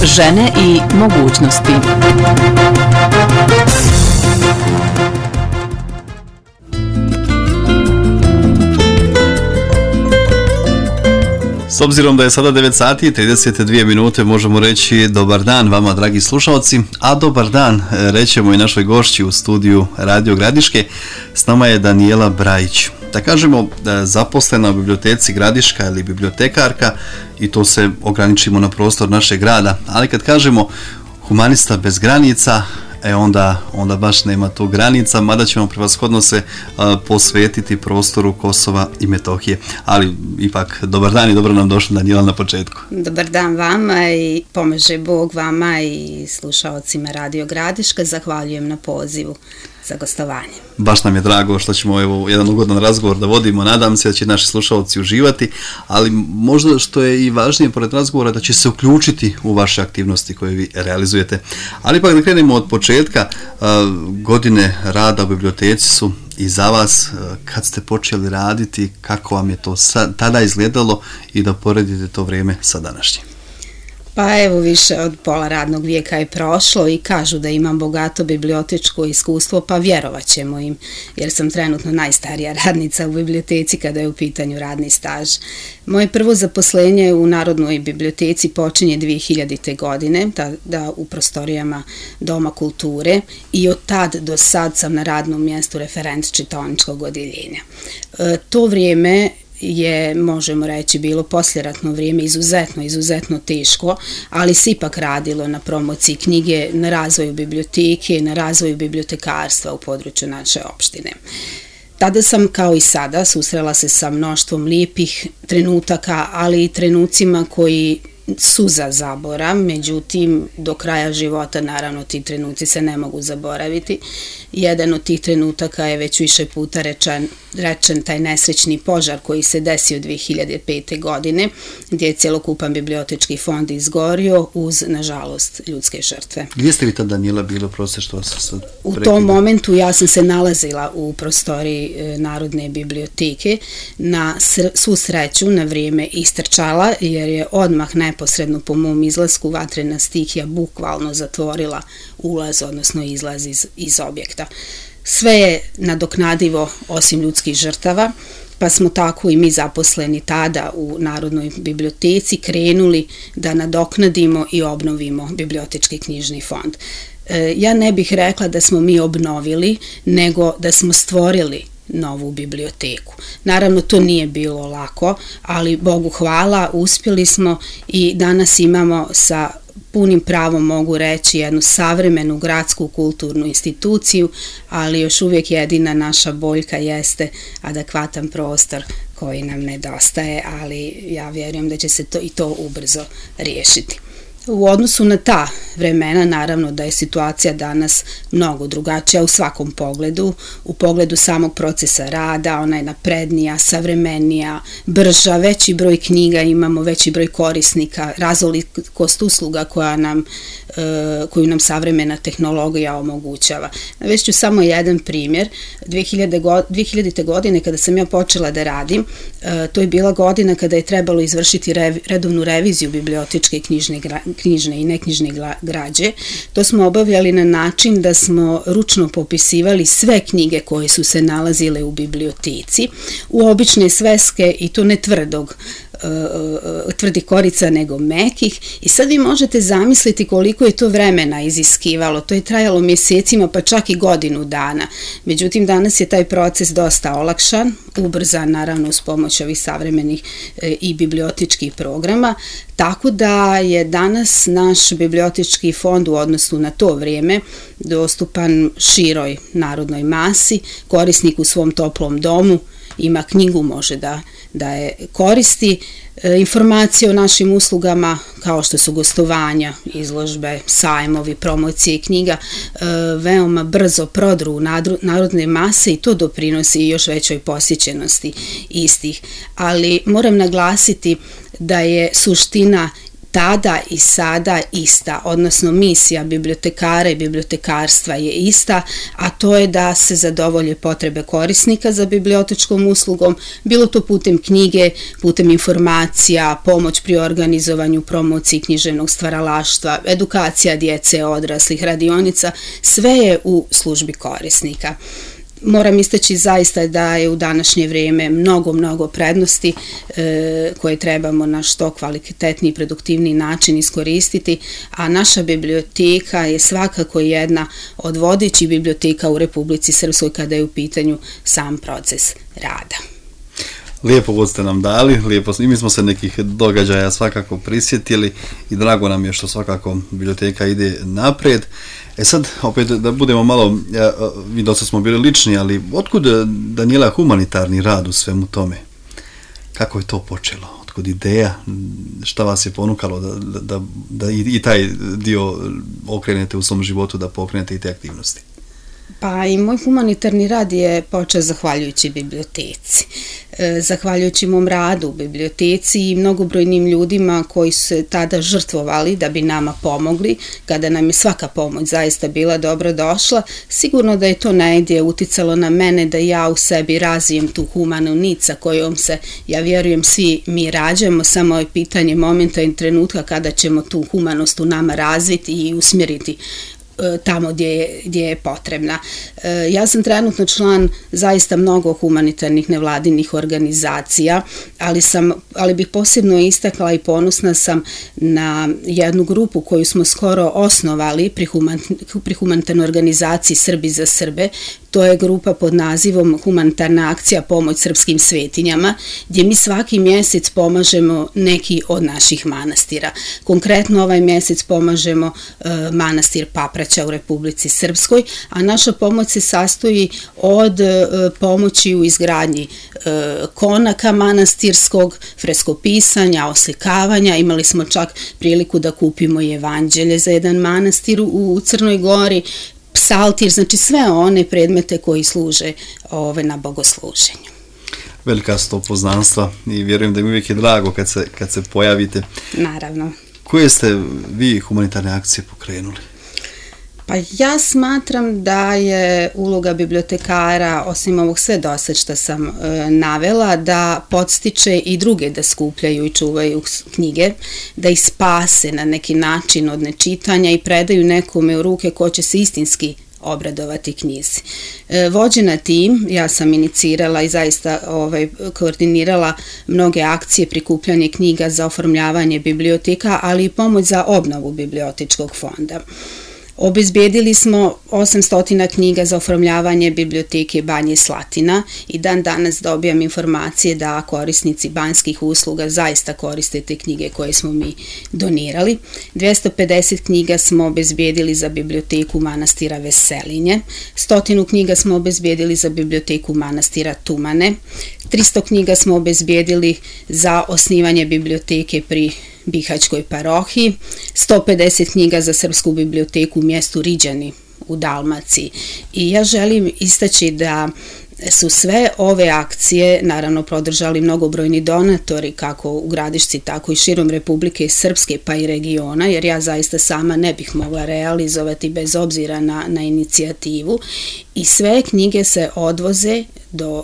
Žene i mogućnosti. S obzirom da je sada 9 sati i 32 minute, možemo reći dobar dan vama, dragi slušalci, a dobar dan rećemo i našoj gošći u studiju Radio Gradiške. S nama je Danijela Brajić. Da kažemo zaposlena u biblioteci Gradiška ili bibliotekarka, i to se ograničimo na prostor našeg grada, ali kad kažemo humanista bez granica, onda baš nema tu granica, mada ćemo prevashodno se posvetiti prostoru Kosova i Metohije. Ali ipak, dobar dan i dobro nam došli, Danijela, na početku. Dobar dan vama i pomaže Bog vama i slušaocima Radio Gradiška. Zahvaljujem na pozivu za gostovanje. Baš nam je drago što ćemo jedan ugodan razgovor da vodimo. Nadam se da će naši slušalci uživati, ali možda što je i važnije pored razgovora, da će se uključiti u vaše aktivnosti koje vi realizujete. Ali ipak da krenemo od početka. Godine rada u biblioteci su i za vas. Kad ste počeli raditi, kako vam je to tada izgledalo i da poredite to vrijeme sa današnjim? Pa evo, više od pola radnog vijeka je prošlo i kažu da imam bogato bibliotečko iskustvo, pa vjerovat ćemo im, jer sam trenutno najstarija radnica u biblioteci kada je u pitanju radni staž. Moje prvo zaposlenje u Narodnoj biblioteci počinje 2000. godine, tada u prostorijama Doma kulture, i od tad do sad sam na radnom mjestu referent čitaoničkog odjeljenja. To vrijeme je, možemo reći, bilo poslijeratno vrijeme izuzetno teško, ali se ipak radilo na promociji knjige, na razvoju biblioteke, na razvoju bibliotekarstva u području naše opštine. Tada sam, kao i sada, susrela se sa mnoštvom lijepih trenutaka, ali i trenucima koji su za zaborav, međutim do kraja života naravno ti trenuci se ne mogu zaboraviti. Jedan od tih trenutaka je već više puta rečen taj nesrećni požar koji se desio 2005. godine, gdje je cjelokupan bibliotečki fond izgorio uz, nažalost, ljudske žrtve. Gdje ste vi tada, Danijela, bilo proces što se sad U tom momentu ja sam se nalazila u prostoriji Narodne biblioteke. Na svu sreću na vrijeme istrčala, jer je odmah neposredno po mom izlasku vatrena stihija bukvalno zatvorila ulaz, odnosno izlaz iz objekta. Sve je nadoknadivo osim ljudskih žrtava, pa smo tako i mi zaposleni tada u Narodnoj biblioteci krenuli da nadoknadimo i obnovimo bibliotečki knjižni fond. Ja ne bih rekla da smo mi obnovili, nego da smo stvorili novu biblioteku. Naravno, to nije bilo lako, ali Bogu hvala, uspjeli smo i danas imamo, sa punim pravom mogu reći, jednu savremenu gradsku kulturnu instituciju, ali još uvijek jedina naša boljka jeste adekvatan prostor koji nam nedostaje, ali ja vjerujem da će se to ubrzo riješiti. U odnosu na ta vremena, naravno da je situacija danas mnogo drugačija u svakom pogledu. U pogledu samog procesa rada, ona je naprednija, savremenija, brža, veći broj knjiga imamo, veći broj korisnika, raznolikost usluga koju nam savremena tehnologija omogućava. Navešću samo jedan primjer. 2000. godine kada sam ja počela da radim, to je bila godina kada je trebalo izvršiti redovnu reviziju bibliotečke knjižne i neknjižne građe. To smo obavljali na način da smo ručno popisivali sve knjige koje su se nalazile u biblioteci, u obične sveske, i to ne tvrdih korica nego mekih, i sad vi možete zamisliti koliko je to vremena iziskivalo. To je trajalo mjesecima, pa čak i godinu dana. Međutim, danas je taj proces dosta olakšan, ubrzan naravno uz pomoć ovih savremenih i bibliotečkih programa, tako da je danas naš bibliotečki fond u odnosu na to vrijeme dostupan široj narodnoj masi. Korisnik u svom toplom domu ima knjigu, može da je koristi. Informacije o našim uslugama, kao što su gostovanja, izložbe, sajmovi, promocije knjiga, veoma brzo prodru u narodne mase, i to doprinosi još većoj posjećenosti istih. Ali moram naglasiti da je suština tada i sada ista, odnosno misija bibliotekara i bibliotekarstva je ista, a to je da se zadovolje potrebe korisnika za bibliotečkom uslugom, bilo to putem knjige, putem informacija, pomoć pri organizovanju, promociji književnog stvaralaštva, edukacija djece, odraslih, radionica, sve je u službi korisnika. Moram istaći zaista da je u današnje vrijeme mnogo prednosti koje trebamo na što kvalitetniji i produktivniji način iskoristiti, a naša biblioteka je svakako jedna od vodećih biblioteka u Republici Srpskoj kada je u pitanju sam proces rada. Lijepo god ste nam dali, lijepo, i mi smo se nekih događaja svakako prisjetili i drago nam je što svakako biblioteka ide naprijed. Sad, opet da budemo malo, mi dosta smo bili lični, ali otkud, Danijela, humanitarni rad u svemu tome? Kako je to počelo? Otkud ideja? Šta vas je ponukalo da i taj dio okrenete u svom životu, da pokrenete i te aktivnosti? Pa i moj humanitarni rad je počeo zahvaljujući biblioteci. Zahvaljujući mom radu u biblioteci i mnogobrojnim ljudima koji su se tada žrtvovali da bi nama pomogli, kada nam je svaka pomoć zaista bila dobro došla, sigurno da je to negdje uticalo na mene da ja u sebi razvijem tu humanu nit sa kojom se, ja vjerujem, svi mi rađamo, samo je pitanje momenta i trenutka kada ćemo tu humanost u nama razviti i usmjeriti tamo gdje je potrebna. Ja sam trenutno član zaista mnogo humanitarnih nevladinih organizacija, ali bih posebno istakla i ponosna sam na jednu grupu koju smo skoro osnovali pri humanitarnoj organizaciji Srbi za Srbe. To je grupa pod nazivom Humanitarna akcija pomoć srpskim svetinjama, gdje mi svaki mjesec pomažemo neki od naših manastira. Konkretno ovaj mjesec pomažemo manastir Papraća u Republici Srpskoj, a naša pomoć se sastoji od pomoći u izgradnji konaka manastirskog, freskopisanja, oslikavanja. Imali smo čak priliku da kupimo i evanđelje za jedan manastir u Crnoj Gori, psaltir, znači sve one predmete koji služe na bogosluženju. Velika su to poznanstva i vjerujem da mi uvijek je drago kad se pojavite. Naravno. Koje ste vi humanitarne akcije pokrenuli? Pa ja smatram da je uloga bibliotekara, osim ovog sve dosad što sam navela, da podstiče i druge da skupljaju i čuvaju knjige, da ih spase na neki način od nečitanja i predaju nekome u ruke ko će se istinski obradovati knjizi. Vođena tim, ja sam inicirala i zaista koordinirala mnoge akcije, prikupljanje knjiga za oformljavanje biblioteka, ali i pomoć za obnovu bibliotečkog fonda. Obezbedili smo 800 knjiga za oformljavanje biblioteke Banje Slatina i dan danas dobijam informacije da korisnici banjskih usluga zaista koriste te knjige koje smo mi donirali. 250 knjiga smo obezbedili za biblioteku manastira Veselinje, 100 knjiga smo obezbedili za biblioteku manastira Tumane, 300 knjiga smo obezbedili za osnivanje biblioteke pri Bihaćkoj parohiji, 150 knjiga za Srpsku biblioteku u mjestu Riđani u Dalmaciji. I ja želim istaći da su sve ove akcije naravno podržali mnogobrojni donatori kako u Gradišci, tako i širom Republike Srpske pa i regiona, jer ja zaista sama ne bih mogla realizovati bez obzira na inicijativu, i sve knjige se odvoze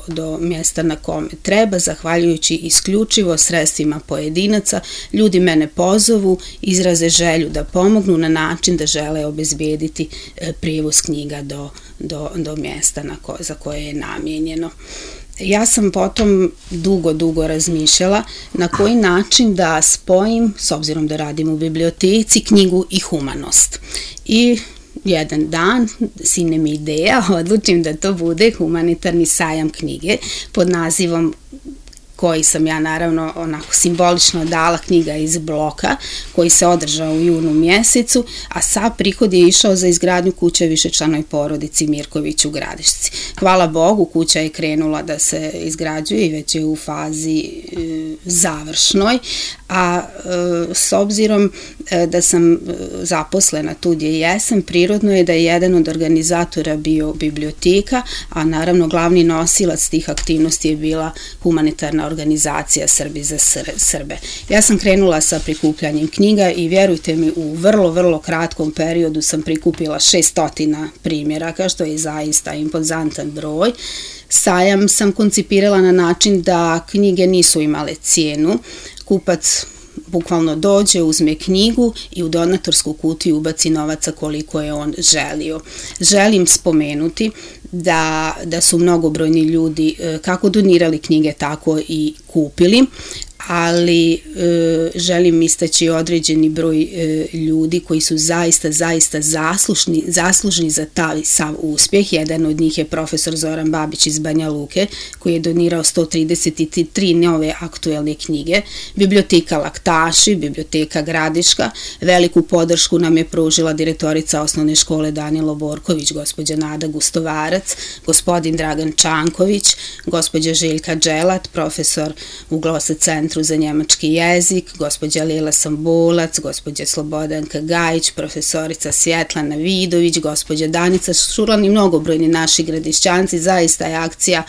do mjesta na kome treba, zahvaljujući isključivo sredstvima pojedinaca. Ljudi mene pozovu, izraze želju da pomognu na način da žele obezbediti prijevoz knjiga do mjesta za koje je namijenjeno. Ja sam potom dugo razmišljala na koji način da spojim, s obzirom da radim u biblioteci, knjigu i humanost. I jedan dan, sine mi ideja, odlučim da to bude humanitarni sajam knjige pod nazivom koji sam ja naravno onako simbolično dala, knjiga iz bloka, koji se održao u junu mjesecu, a sav prihod je išao za izgradnju kuće višečlanoj porodici Mirković u Gradišci. Hvala Bogu, kuća je krenula da se izgrađuje i već je u fazi završnoj, a s obzirom da sam zaposlena tu gdje jesam, prirodno je da je jedan od organizatora bio biblioteka, a naravno glavni nosilac tih aktivnosti je bila humanitarna organizacija Srbi za Srbe. Ja sam krenula sa prikupljanjem knjiga i vjerujte mi, u vrlo, vrlo kratkom periodu sam prikupila 600 primjeraka, što je zaista impozantan broj. Sajam sam koncipirala na način da knjige nisu imale cijenu. Kupac bukvalno dođe, uzme knjigu i u donatorsku kutiju ubaci novaca koliko je on želio. Želim spomenuti da su mnogobrojni ljudi kako donirali knjige, tako i kupili, ali želim istaći određeni broj ljudi koji su zaista zaslužni za taj sav uspjeh. Jedan od njih je profesor Zoran Babić iz Banja Luke, koji je donirao 133 nove aktuelne knjige. Biblioteka Laktaši, Biblioteka Gradiška, veliku podršku nam je pružila direktorica osnovne škole Danilo Borković, gospođa Nada Gustovarac, gospodin Dragan Čanković, gospođa Željka Dželat, profesor u Glosa centru za njemački jezik, gospođa Lila Sambulac, gospođa Slobodanka Gajić, profesorica Svjetlana Vidović, gospođa Danica Šulan i mnogobrojni naši gradišćanci. Zaista je akcija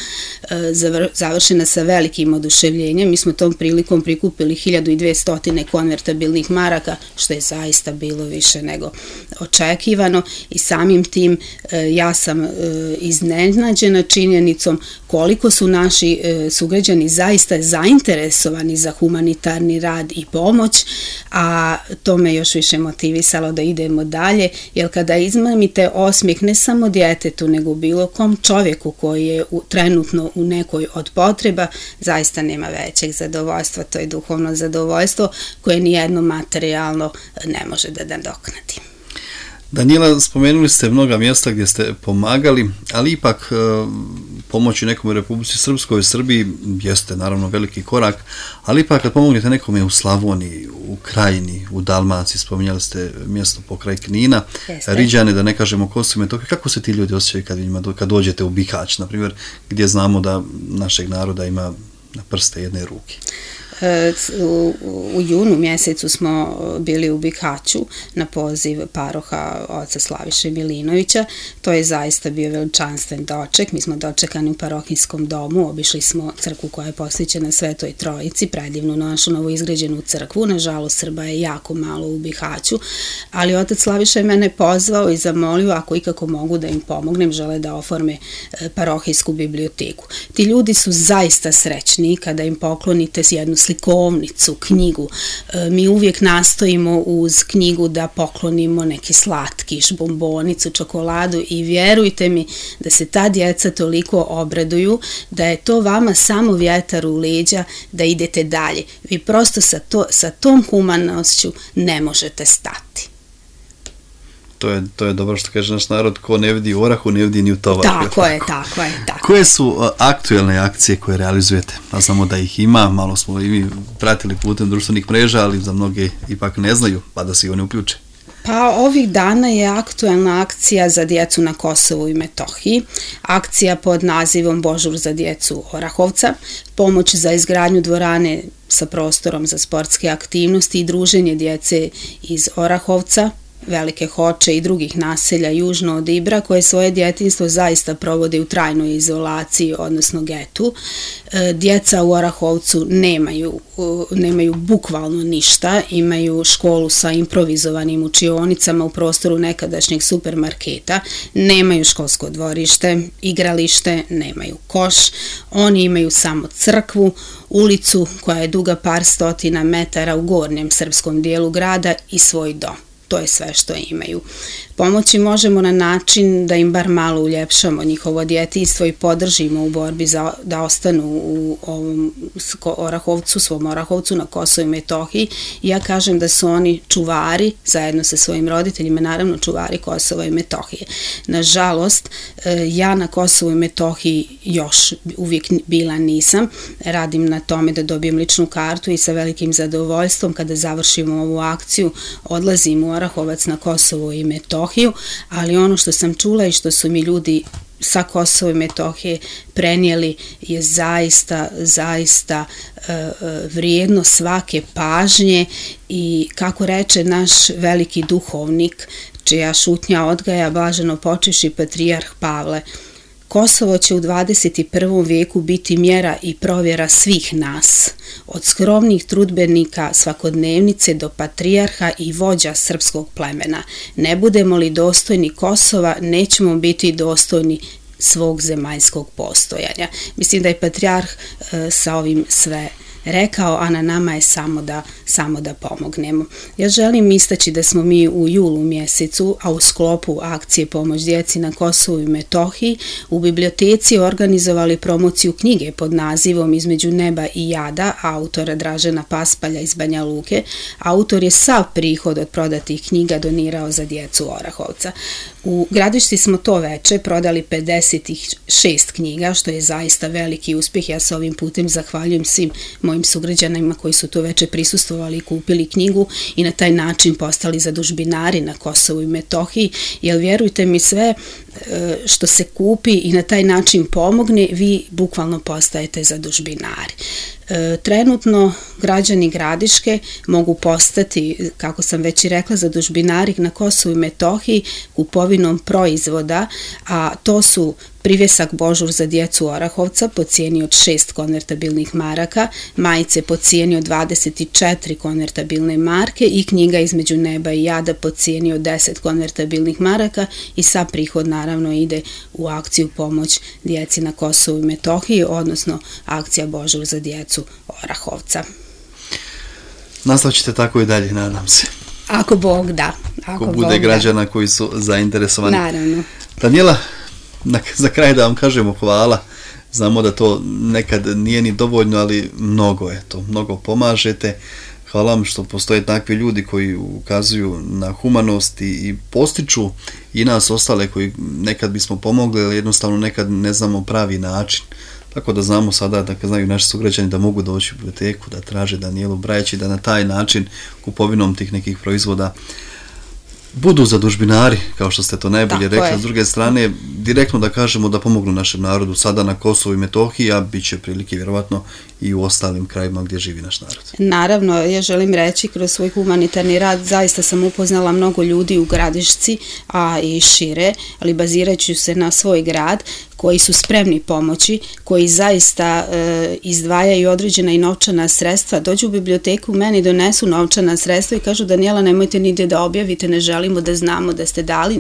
završena sa velikim oduševljenjem. Mi smo tom prilikom prikupili 1200 konvertabilnih maraka, što je zaista bilo više nego očekivano, i samim tim ja sam iznenađena činjenicom koliko su naši sugrađani zaista zainteresovani za humanitarni rad i pomoć, a to me još više motivisalo da idemo dalje, jer kada izmamite osmijeh ne samo djetetu, nego bilo kom čovjeku koji je trenutno u nekoj od potreba, zaista nema većeg zadovoljstva. To je duhovno zadovoljstvo koje nijedno materijalno ne može da nadoknadi. Danijela, spomenuli ste mnoga mjesta gdje ste pomagali, ali ipak pomoći nekom u Republici Srpskoj, Srbiji jeste naravno veliki korak, ali ipak kad pomognete nekome u Slavoniji, u Krajini, u Dalmaciji, spominjali ste mjesto pokraj Knina, Riđane, da ne kažemo Kosovo i Metohiju, kako se ti ljudi osjećaju kad dođete u Bihać, na primjer, gdje znamo da našeg naroda ima na prste jedne ruke? U junu mjesecu smo bili u Bihaću na poziv paroha oca Slaviše Milinovića. To je zaista bio veličanstven doček. Mi smo dočekani u parohijskom domu, obišli smo crkvu koja je posvećena Svetoj Trojici, predivnu našu novoizgrađenu crkvu. Nažalost, Srba je jako malo u Bihaću, ali otac Slaviša je mene pozvao i zamolio ako ikako mogu da im pomognem, žele da oforme parohijsku biblioteku. Ti ljudi su zaista srećni kada im poklonite jednu slikovnicu, knjigu. Mi uvijek nastojimo uz knjigu da poklonimo neki slatkiš, bombonicu, čokoladu i vjerujte mi da se ta djeca toliko obraduju da je to vama samo vjetar u leđa da idete dalje. Vi prosto sa tom humanošću ne možete stati. To je dobro što kaže naš narod, ko ne vidi u orahu, ne vidi ni u tovaru. Tako je. Koje su aktuelne akcije koje realizujete? A znamo da ih ima, malo smo i mi pratili putem društvenih mreža, ali za mnoge ipak ne znaju, pa da se i oni uključe. Pa ovih dana je aktuelna akcija za djecu na Kosovu i Metohiji, akcija pod nazivom Božur za djecu Orahovca, pomoć za izgradnju dvorane sa prostorom za sportske aktivnosti i druženje djece iz Orahovca, Velike Hoče i drugih naselja južno od Ibra, koje svoje djetinjstvo zaista provode u trajnoj izolaciji, odnosno getu. Djeca u Orahovcu nemaju bukvalno ništa, imaju školu sa improvizovanim učionicama u prostoru nekadašnjeg supermarketa, nemaju školsko dvorište, igralište, nemaju koš, oni imaju samo crkvu, ulicu koja je duga par stotina metara u gornjem srpskom dijelu grada i svoj dom. To je sve što imaju. Pomoći možemo na način da im bar malo uljepšamo njihovo djetinjstvo i podržimo u borbi da ostanu u ovom svom Orahovcu na Kosovu i Metohiji. Ja kažem da su oni čuvari, zajedno sa svojim roditeljima, naravno čuvari Kosova i Metohije. Nažalost, ja na Kosovu i Metohiji još uvijek bila nisam. Radim na tome da dobijem ličnu kartu i sa velikim zadovoljstvom kada završimo ovu akciju odlazim u Orahovac na Kosovo i Metohiju, ali ono što sam čula i što su mi ljudi sa Kosova i Metohije prenijeli je zaista vrijedno svake pažnje i kako reče naš veliki duhovnik, čija šutnja odgaja blaženo počivši patrijarh Pavle, Kosovo će u 21. vijeku biti mjera i provjera svih nas, od skromnih trudbenika svakodnevnice do patrijarha i vođa srpskog plemena. Ne budemo li dostojni Kosova, nećemo biti dostojni svog zemaljskog postojanja. Mislim da je patrijarh sa ovim sve rekao, a na nama je samo da pomognemo. Ja želim istaći da smo mi u julu mjesecu, a u sklopu akcije Pomoć djeci na Kosovu i Metohiji, u biblioteci organizovali promociju knjige pod nazivom Između neba i jada, autora Dražena Paspalja iz Banja Luke. Autor je sav prihod od prodatih knjiga donirao za djecu Orahovca. U Gradišci smo to veče prodali 56 knjiga, što je zaista veliki uspjeh. Ja se ovim putem zahvaljujem svim mojim sugrađanima koji su to veče prisustvovali i kupili knjigu i na taj način postali zadužbinari na Kosovu i Metohiji, jer vjerujte mi, sve što se kupi i na taj način pomogne, vi bukvalno postajete zadužbinari. Trenutno građani Gradiške mogu postati, kako sam već i rekla, zadužbinari na Kosovu i Metohiji kupovinom proizvoda, a to su privjesak Božur za djecu Orahovca po cijeni od 6 konvertabilnih maraka, majice po cijeni od 24 konvertabilne marke i knjiga Između neba i jada po cijeni od 10 konvertabilnih maraka, i sav prihod naravno ide u akciju Pomoć djeci na Kosovu i Metohiji, odnosno akcija Božur za djecu Orahovca. Nastavit ćete tako i dalje, nadam se. Ako Bog da. Ako bude građana koji su zainteresovani. Naravno. Daniela, za kraj da vam kažemo hvala. Znamo da to nekad nije ni dovoljno, ali mnogo je to. Mnogo pomažete. Hvala vam što postoje takvi ljudi koji ukazuju na humanost i postiču i nas ostale koji nekad bismo pomogli, ali jednostavno nekad ne znamo pravi način. Tako da znamo sada, da znaju naši sugrađani da mogu doći u biblioteku, da traže Danijelu Brajić i da na taj način kupovinom tih nekih proizvoda budu zadužbinari, kao što ste to najbolje rekli. S druge strane, direktno da kažemo da pomognu našem narodu sada na Kosovu i Metohiji, a bit će prilike vjerovatno i u ostalim krajima gdje živi naš narod. Naravno, ja želim reći, kroz svoj humanitarni rad zaista sam upoznala mnogo ljudi u Gradišci, a i šire, ali bazirajući se na svoj grad, koji su spremni pomoći, koji zaista izdvajaju određena i novčana sredstva, dođu u biblioteku, meni donesu novčana sredstva i kažu: Danijela, nemojte nigdje da objavite, ne želimo da znamo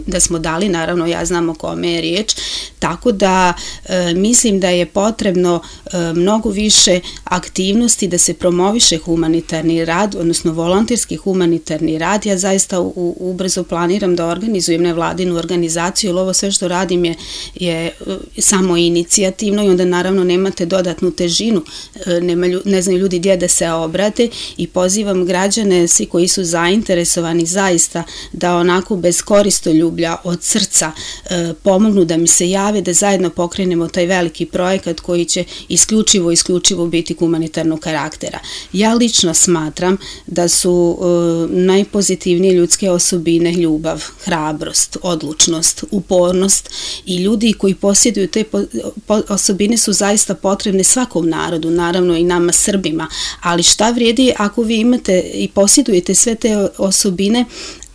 da smo dali, naravno ja znam o kome je riječ, tako da mislim da je potrebno mnogo više aktivnosti da se promoviše humanitarni rad, odnosno volonterski humanitarni rad. Ja zaista ubrzo planiram da organizujem nevladinu organizaciju, jer ovo sve što radim je samo inicijativno i onda naravno nemate dodatnu težinu, ne znaju ljudi gdje da se obrate, i pozivam građane, svi koji su zainteresovani zaista, da onako bez koristoljublja od srca pomognu, da mi se jave, da zajedno pokrenemo taj veliki projekat koji će isključivo biti humanitarnog karaktera. Ja lično smatram da su najpozitivnije ljudske osobine ljubav, hrabrost, odlučnost, upornost, i ljudi koji posjeduju te osobine su zaista potrebne svakom narodu, naravno i nama Srbima, ali šta vrijedi ako vi imate i posjedujete sve te osobine,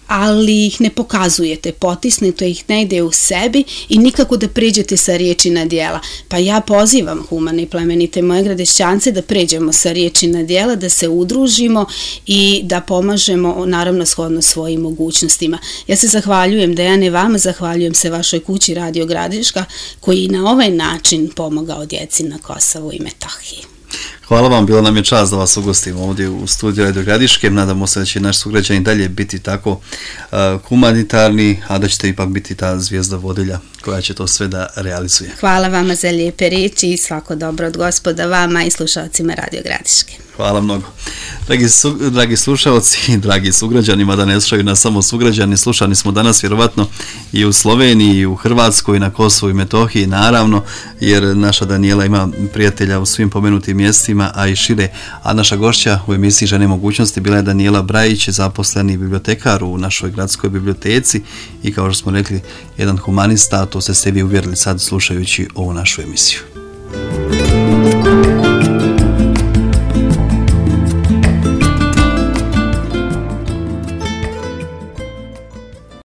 ali ih ne pokazujete, potisnete ih negdje u sebi i nikako da pređete sa riječi na djela. Pa ja pozivam humane i plemenite moje Gradišćance da pređemo sa riječi na djela, da se udružimo i da pomažemo, naravno shodno svojim mogućnostima. Ja se zahvaljujem Dejane vama, zahvaljujem se vašoj kući Radio Gradiška, koji na ovaj način pomogao djeci na Kosovu i Metohiji. Hvala vam, bila nam je čast da vas ugostimo ovdje u studiju Radio Gradiške. Nadamo se da će naši sugrađani dalje biti tako humanitarni, a da ćete ipak biti ta zvijezda vodilja koja će to sve da realizuje. Hvala vama za lijepe riječi i svako dobro od Gospoda vama i slušalcima Radio Gradiške. Hvala mnogo. Dragi slušalci i dragi sugrađani, mada ne slušaju nas samo sugrađani, slušani smo danas vjerovatno i u Sloveniji, i u Hrvatskoj, i na Kosovu i Metohiji, naravno, jer naša Danijela ima prijatelja u svim pomenutim mjestima, a i šire. A naša gošća u emisiji Žene mogućnosti bila je Danijela Brajić, zaposleni bibliotekar u našoj gradskoj biblioteci i, kao što smo rekli, jedan humanista, to ste vi uvjerili sad slušajući ovu našu emisiju.